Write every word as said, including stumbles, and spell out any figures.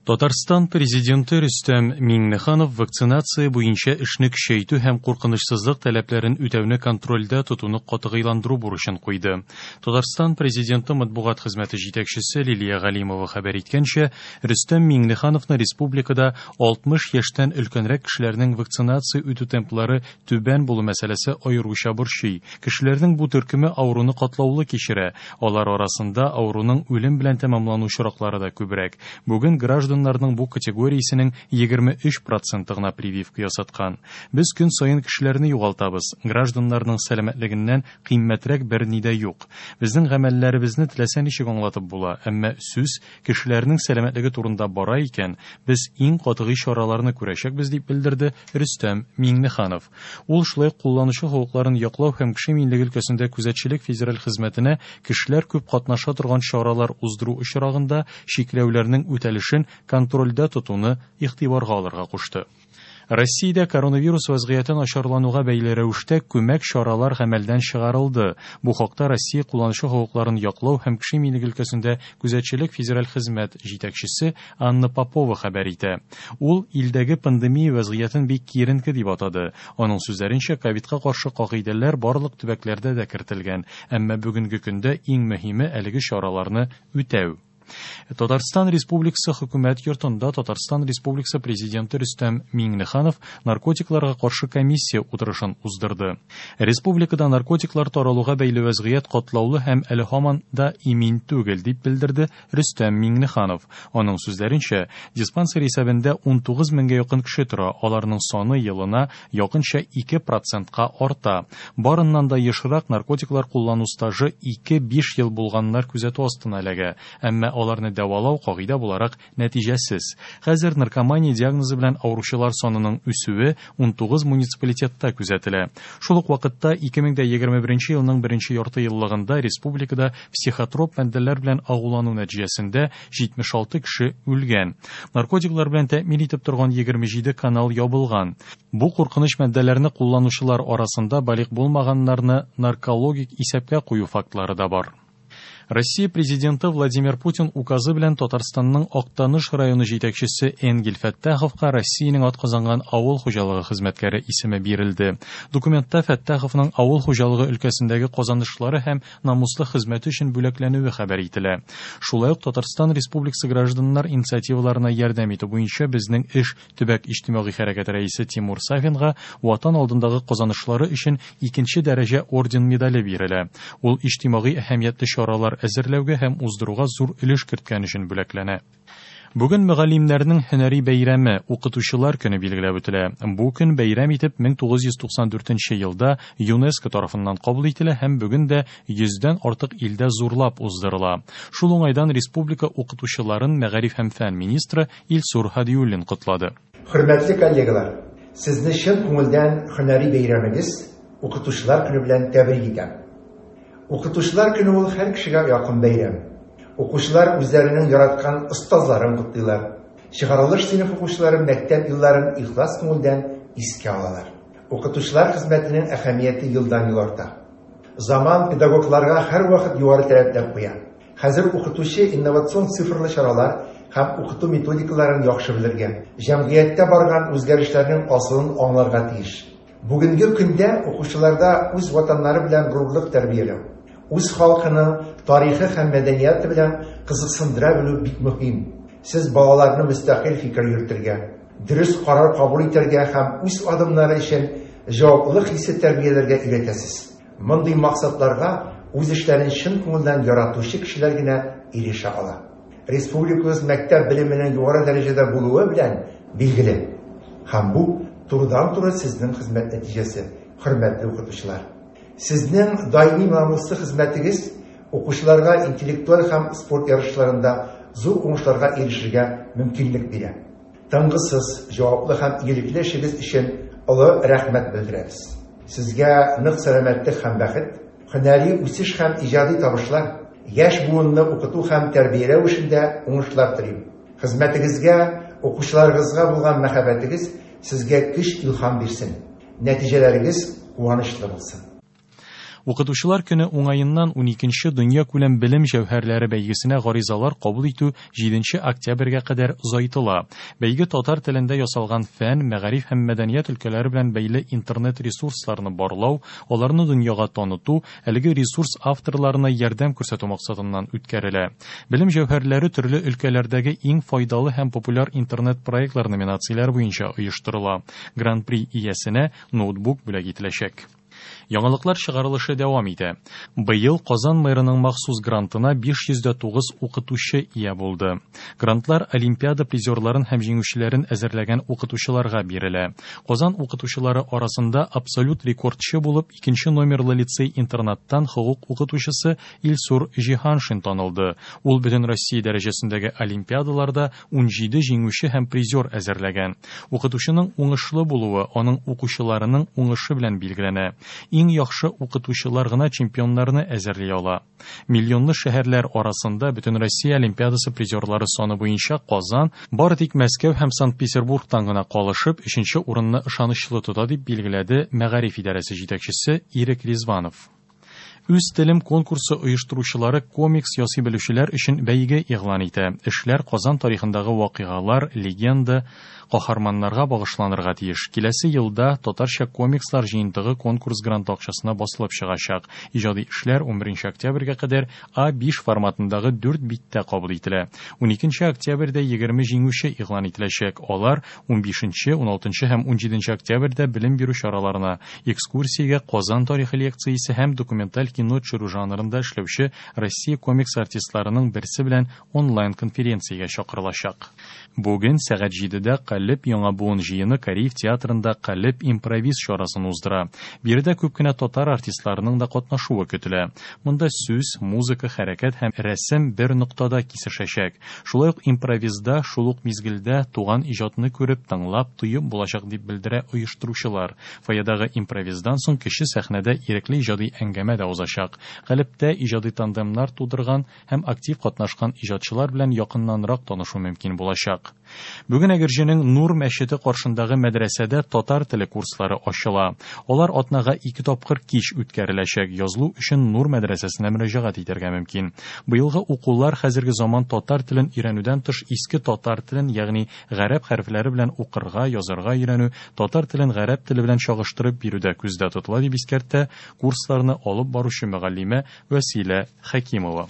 Татарстан президенты Рөстәм Миңнеханов вакцинация буенча эшне көчәйтү һәм куркынычсызлык таләпләрен үтәүне контрольдә тотуны катгыйландыру бурычын куйды. Татарстан президенты матбугат хезмәте җитәкчесе Лилия Галимова хәбәр иткәнчә, Рөстәм Миңнехановны республикада алтмыш яшьтән өлкәнрәк кешеләрнең вакцинация үтү темплары түбән булу мәсьәләсе аеруча борчый. Кешеләрнең бу төркеме авыруны катлаулы кичерә. Алар арасында авыруның үлем белән тәмамлану очраклары да күбрәк. Бүген граждан гражданнарның бу категориясенең егерме өч проценты гына прививка ясаткан. Без көн саен кешеләрне югалтабыз. Гражданнарның сәламәтлегеннән кыйммәтрәк берни дә юк. Безнең гамәлләребезне теләсә ничек аңлатып була, әмма сүз кешеләрнең сәламәтлеге турында бара икән, без иң катгый чараларны күрәчәкбез, дип белдерде Рөстәм Миңнеханов. Ул шулай кулланучы хокукларын яклау һәм кеше иминлеге өлкәсендә күзәтчелек федераль хезмәтенә кешеләр күп катнаша торган чаралар уздыру очрагында чикләүләрнең үтәлешен контрольдә тотуны игътибарга алырга кушты. Россиядә коронавирус вазгыяте начарлануга бәйле рәвештә күмәк чаралар гамәлдән чыгарылды. Бу хакта Россия кулланучы хокукларын яклау һәм кеше иминлеге өлкәсендә күзәтчелек федераль хезмәт җитәкчесе Анна Попова хәбәр итә. Ул илдәге пандемия вазгыятен бик киеренке дип атады. Аның сүзләренчә, ковидка каршы кагыйдәләр барлык төбәкләрдә дә кертелгән, әмма бүгенге көндә иң мөһиме әлеге чараларны үтәү. Татарстан Республикасы хөкүмәт йортында Татарстан Республикасы президенты Рөстәм Миңнеханов наркотикларга каршы комиссия утырышын уздырды. Республикада наркотиклар таралуга бәйле вазгыять катлаулы һәм әле һаман да имин түгел, дип белдерде Рөстәм Миңнеханов. Аның сүзләренчә, диспансер исәбендә унтугыз меңгә якын кеше тора, аларның саны елына якынча ике процентка арта. Барыннан да ешрак наркотиклар куллану стажы ике-биш ел булганнар күзәтү астына эләгә, әмма аларны дәвалау кагыйдә буларак нәтиҗәсез. Хәзер наркомания диагнозы белән авыручылар санының үсүе унтугыз муниципалитетта күзәтелә. Шул ук вакытта ике мең дә егерме беренче елның беренче ярты еллыгында республикада психотроп матдәләр белән агулану нәтиҗәсендә җитмеш алты кеше үлгән. Наркотиклар белән тәэмин итеп торган егерме җиде канал ябылган. Бу куркыныч матдәләрне кулланучылар арасында балигъ булмаганнарны наркологик исәпкә кую фактлары да бар. Россия президенты Владимир Путин указы белән Татарстанның Актаныш районы җитәкчесе Энгель Фәттаховка Россиянең атказанган авыл хуҗалыгы хезмәткәре исеме бирелде. Документта Фәттаховның авыл хуҗалыгы өлкәсендәге казанышлары һәм намуслы хезмәте өчен бүләкләнүе хәбәр ителә. Шулай ук Татарстан Республикасы гражданнар инициативаларына ярдәм итү буенча безнең эш төбәк иҗтимагый хәрәкәте рәисе Тимур Сафинга Ватан алдындагы казанышлары өчен икенче дәрәҗә орден медале бирелә. Ул иҗтимагый әһәмиятле чаралар әзерләүгә һәм уздыруга зур өлеш керткән өчен бүләкләнә. Бүген мөгаллимнәрнең һөнәри бәйрәме, укытучылар көне билгеләп үтелә. Бу көн бәйрәм итеп мең тугыз йөз туксан дүртенче елда ЮНЕСКО тарафыннан кабул ителә һәм бүген дә йөздән артык илдә зурлап уздырыла. Шул уңайдан республика укытучыларын мәгариф һәм фән министры Илсур Һадиуллин котлады. Хөрмәтле коллегалар, сезне чын күңелдән һөнәри бәйрәмегез, укытучылар көне белән тәбрик итәм. Укытучылар көне ул һәр кешегә якын бәйрәм. Укучылар үзләренең яраткан остазларын котлыйлар. Чыгарылыш сыйныф укучылары мәктәп елларын ихлас күңелдән искә алалар. Укытучылар хезмәтенең әһәмияте елдан-ел арта. Заман педагогларга һәрвакыт югары таләпләр куя. Хәзер укытучы инновацион цифрлы чаралар һәм укыту методикаларын яхшы белергә, җәмгыятьтә барган үзгәрешләрнең асылын аңларга тиеш. Бүгенге көндә укучыларда үз ватаннары белән горурлык тәрбияләү, үз халкының тарихы һәм мәдәнияте белән кызыксындыра белү бик мөһим. Сез балаларны мөстәкыйль фикер йөртергә, дөрес карар кабул итәргә һәм үз адымнары өчен җаваплылык хисе тәрбияләргә өйрәтәсез. Мондый максатларга үз эшләрен чын күңелдән яратучы кешеләр генә ирешә ала. Республикабыз мәктәп белеменең югары дәрәҗәдә булуы белән билгеле. Һәм бу турыдан-туры сезнең хезмәт нәтиҗәсе, хөрмәтле укытучылар. Сезнең даими намуслы хезмәтегез укучыларга интеллектуаль һәм спорт ярышларында зур уңышларга ирешергә мөмкинлек бирә. Тынгысыз, җаваплы һәм игелекле эшегез өчен олы рәхмәт белдерәбез. Сезгә нык сәламәтлек һәм бәхет, һөнәри үсеш һәм иҗади табышлар, яшь буынны укыту һәм тәрбияләү эшендә уңышлар телим. Хезмәтегезгә, укучыларыгызга булган мәхәббәтегез сезгә көч, илһам бирсен. Нәтиҗәләрегез куанычлы булсын. Укытучылар көне уңаеннан уникенче дөньякүләм белем җәүһәрләре бәйгесенә гаризалар кабул итү җиденче октябрьгә кадәр озайтыла. Бәйге татар телендә ясалган фән, мәгариф һәм мәдәният өлкәләре белән бәйле интернет ресурсларны барлау, аларны дөньяга таныту, әлеге ресурс авторларына ярдәм күрсәтү максатыннан үткәрелә. Белем җәүһәрләре төрле өлкәләрдәге иң файдалы һәм популяр интернет проектлар номинацияләре буенча оештырыла. Гран-при иясенә ноутбук бүләк ителәчәк. Яңалыклар чыгарылышы дәвам итә. Быел Казан мэрының махсус грантына биш йөз дә тугыз укытучы ия булды. Грантлар олимпиада призерларын һәм җиңүчеләрен әзерләгән укытучыларга бирелә. Казан укытучылары арасында абсолют рекордчы булып икенче номерлы лицей-интернаттан хокук укытучысы Илсур Җиһаншин танылды. Ул бөтен Россия дәрәҗәсендәге олимпиадаларда унҗиде җиңүче һәм призер әзерләгән. Укытучының уңышлы булуы аның укучыларының уңышы белән билгеләнә. Иң яхшы укытучылар гына чемпионнарны әзерли ала. Миллионлы шәһәрләр арасында бөтен Россия олимпиадасы призерлары саны буенча Казан бары тик Мәскәү һәм Санкт-Петербургтан гына калышып өченче урынны ышанычлы тота дип билгеләде Мәгариф идарәсе җитәкчесе Ирек Ризванов. Үз телем конкурсы оештыручылары комикс ясый белүчеләр өчен бәйге игълан итә. Эшләр Казан тарихындагы вакыйгалар, легенда, каһарманнарга багышланырга тиеш. Киләсе елда татарча комикслар җыентыгы конкурс гранты акчасына басылып чыгачак. Иҗади эшләр унберенче октябрьгә кадәр А биш форматындагы дүрт биттә кабул ителә. Уникенче октябрьдә егерме җиңүче игълан ителәчәк. Алар унбишенче, уналтынчы һәм унҗиденче октябрьдә белем бирү чараларына, экскурсиягә, Казан тарихы лекциясе һәм документаль кино төшерү жанрында эшләүче Россия комикс артистларының берсе белән онлайн конференциягә чакырылачак. Бүген сәгать җидедә Калеб яңа буын җыены Кариев театрында Калеб импровиз чарасын уздыра. Биредә күп кенә татар артистларының да катнашуы көтелә. Монда сүз, музыка, хәрәкәт һәм рәсем бер ноктада кисешәчәк. Шулай ук импровизда шул ук мизгелдә туган иҗатны күреп, тыңлап, тоеп булачак дип белдерә оештыручылар. Фойедагы импровиздан соң кече сәхнәдә ирекле иҗади әңгәмә дә узачак. Калебтә иҗади тандемнар тудырган һәм актив катнашкан иҗатчылар белән якыннанрак танышу мөмкин булачак. Бүген Әгерҗенең Нур мәчете каршындагы мәдрәсәдә татар теле курслары ачыла. Алар атнага ике тапкыр кич үткәреләчәк. Язылу өчен Нур мәдрәсәсенә мөрәҗәгать итәргә мөмкин. Быелгы укулар хәзерге заман татар телен өйрәнүдән тыш иске татар телен, ягъни гарәп хәрефләре белән укырга, язарга өйрәнү, татар телен гарәп теле белән чагыштырып бирүдә күздә тотыла дип искәртә курсларны алып баручы мөгаллимә Вәсилә Хәкимова.